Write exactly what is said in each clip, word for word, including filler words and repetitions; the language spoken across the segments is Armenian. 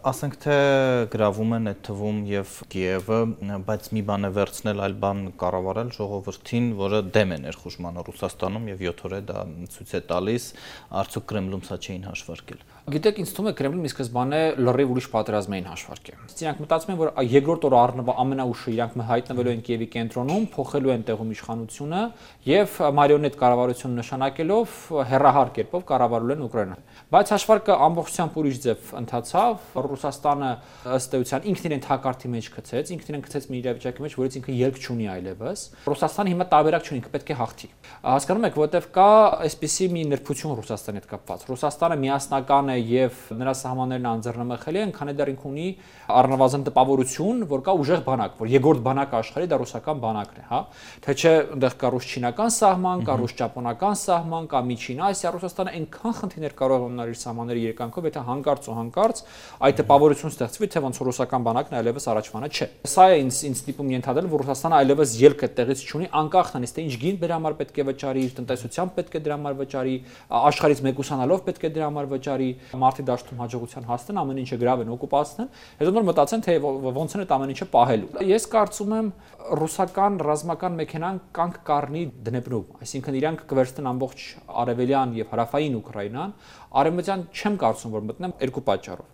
Ասենք թե գրավում են այդ թվում եւ Կիևը, բայց մի բան է վերցնել, այլ բան կառավարել ժողովրդին, որը դեմ է ներխուժմանը Ռուսաստանում եւ յոթ օր է դա ցույց է տալիս, արդյոք Կրեմլում սա չէին հաշվարկել։ Գիտեք, ինձ թվում է Կրեմլին ի սկզբանե լրիվ ուրիշ պատերազմ էին հաշվարկել։ Իրանք մտածում են, որ երկրորդ օրը առնվազն ամենաուշը իրանք հայտնվելու են Կիևի կենտրոնում, փոխելու են տեղում իշխանությունը եւ մարիոնետ կառավարություն նշանակելով հերահար կերպով կառավարել են Ուկրաինան։ Բայց հաշվարկը ամբողջությամբ ուրիշ ձև ընթացավ։ Ռուսաստանը ըստ էության ինքն իրեն թակարդի մեջ գցեց, ինքն իրեն գցեց մի իրավիճակի մեջ, որից ինքը ելք չունի այլևս։ Ռուսաստանը հիմա տարբերակ չունի, ինքը պետք է հաղթի։ Հասկանում եք, որտեվ կա այսպիսի մի նրբություն Ռուսաստանի հետ կապված։ Ռուսաստանը միասնական է եւ նրա սահմաններն անձեռնմխելի են, քանի դեռ ինքը ունի առնվազն տպավորություն, որ կա ուժեղ բանակ, որ երկրորդ բանակը աշխարհի դա ռուսական բանակն է, հա։ Թե չէ այնտեղ կա ռուս-չինական սահման, կա ռուս-ճապոնական սահման, կա Միջին Ասիա, Ռուսաստանը այնքան խնդիրներ կարող է ունենալ իր սահմանների երկանքով, եթե հանկարծ ու հանկարծ այդ տպավորություն ստեղծվի, թե ոնց որ ռուսական բանակն այլևս առաջվանը չէ։ Սա է ինձ ինձ դիպում ենթադրել, որ Ռուսաստանը այլևս ելք այդտեղից չունի, անկախ նրանից թե ինչ գին դրա համար պետք է վճարի, իր տնտեսությամբ պետք է դրա համար վճարի, աշխարհից մեկուսանալով պետք է դրա համար վճարի, մարտի դաշտում հաջողության հասնեն, ամեն ինչը գրավեն, օկուպացնեն, հետո նոր մտածեն, թե ոնց են այդ ամեն ինչը պահելու։ Ես կարծում եմ ռուսական ռազմական մեքենան կանգ կառնի Դնեպրում, այսինքն իրանք կվերցնեն ամբողջ արևելյան եւ հարավային Ուկրաինան, արևմտյան չեմ կարծում, որ մտնեն երկու պատճառով։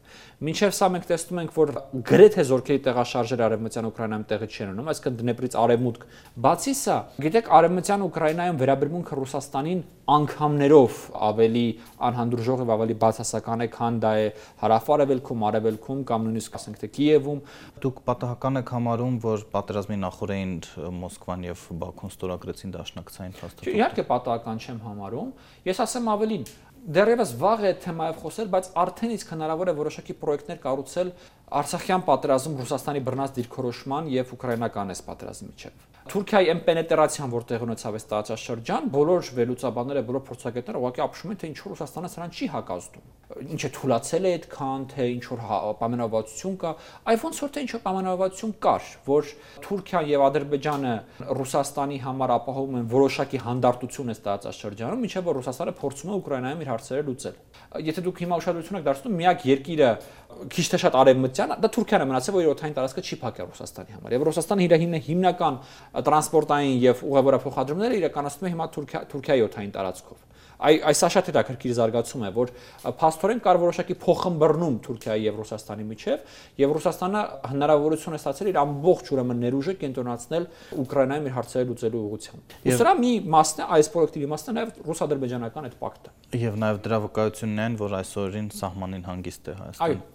Մինչև սա մենք տեսնում ենք, որ գրեթե զորքերի տեղաշարժերը արևմտյան Ուկրաինայում տեղի չեն ունենում, այսինքն Դնեպրից արևմուտք։ Բացի սա, գիտեք, արևմտյան Ուկրաինայում վերաբերմունքը Ռուսաստանին անգամներով ավելի անհանդուրժող եւ ավելի բացասական է, քան դա է հարավ-արևելքում, արևելքում կամ նույնիսկ ասենք թե Կիևում։ Դուք պատահական եք համարում, որ պատերազմի նախորդին Մոսկվան եւ Բաքուն ստորագրեցին դաշնակցային փաստաթուղթ։ Իհարկե պատահական չեմ համարում։ Ես ասեմ ավելին, դեռևս վաղ է թեմայով խոսել, բայց արդեն իսկ հնարավոր է որոշակի պրոյեկտներ կառուցել Արցախյան պատերազմում Ռուսաստանի բռնած դիրքորոշման եւ ուկրաինական այս պատերազմի միջեւ։ Թուրքիայի այն պենետրացիան, որտեղ ունեցավ այս տարածաշրջան, բոլոր վերլուծաբանները, բոլոր փորձագետները ուղղակի ապշում են, թե ինչ որ Ռուսաստանը սրան չի հակազդում։ Ինչ է թուլացել է այդքան, թե ինչ որ պայմանավորվածություն կա, այ ոնց որ թե ինչ որ պայմանավորվածություն կար, որ Թուրքիան եւ Ադրբեջանը Ռուսաստանի համար ապահովում են որոշակի հանդարտություն այս տարածաշրջանում, ինչեւ որ Ռուսաստանը փորձում է Ուկրաինայում իր հարցերը լուծել։ Եթե դուք հիմա ուշադրություն եք դարձնում, միակ երկիրը քիչ թե շատ արևմտյան, դա Թուրքիան է մնացել, որ իր օդային տարածքը չի փակել Ռուսաստանի համար։ Եվ Ռուսաստանը իր հիմնական տրանսպորտային եւ ուղևորափոխադրումները իրականացնում է հիմա Թուրքիայի օդային տարածքով։ Այ այս շատ հետաքրքիր զարգացում է, որ փաստորեն կար որոշակի փոխըմբռնում Թուրքիայի եւ Ռուսաստանի միջեւ, եւ Ռուսաստանը հնարավորություն է ստացել իր ամբողջ ուրեմն ներուժը կենտրոնացնել Ուկրաինայում իր հարցերը լուծելու ուղղությամբ։ Ու սրա մի մասն է, այս պրոյեկտի մասն է նաեւ ռուս-ադրբեջանական այդ պակտը։ Եվ նաեւ դրա վկայությունն են, որ այսօրին սահմանին հանգիստ է Հայաստանը։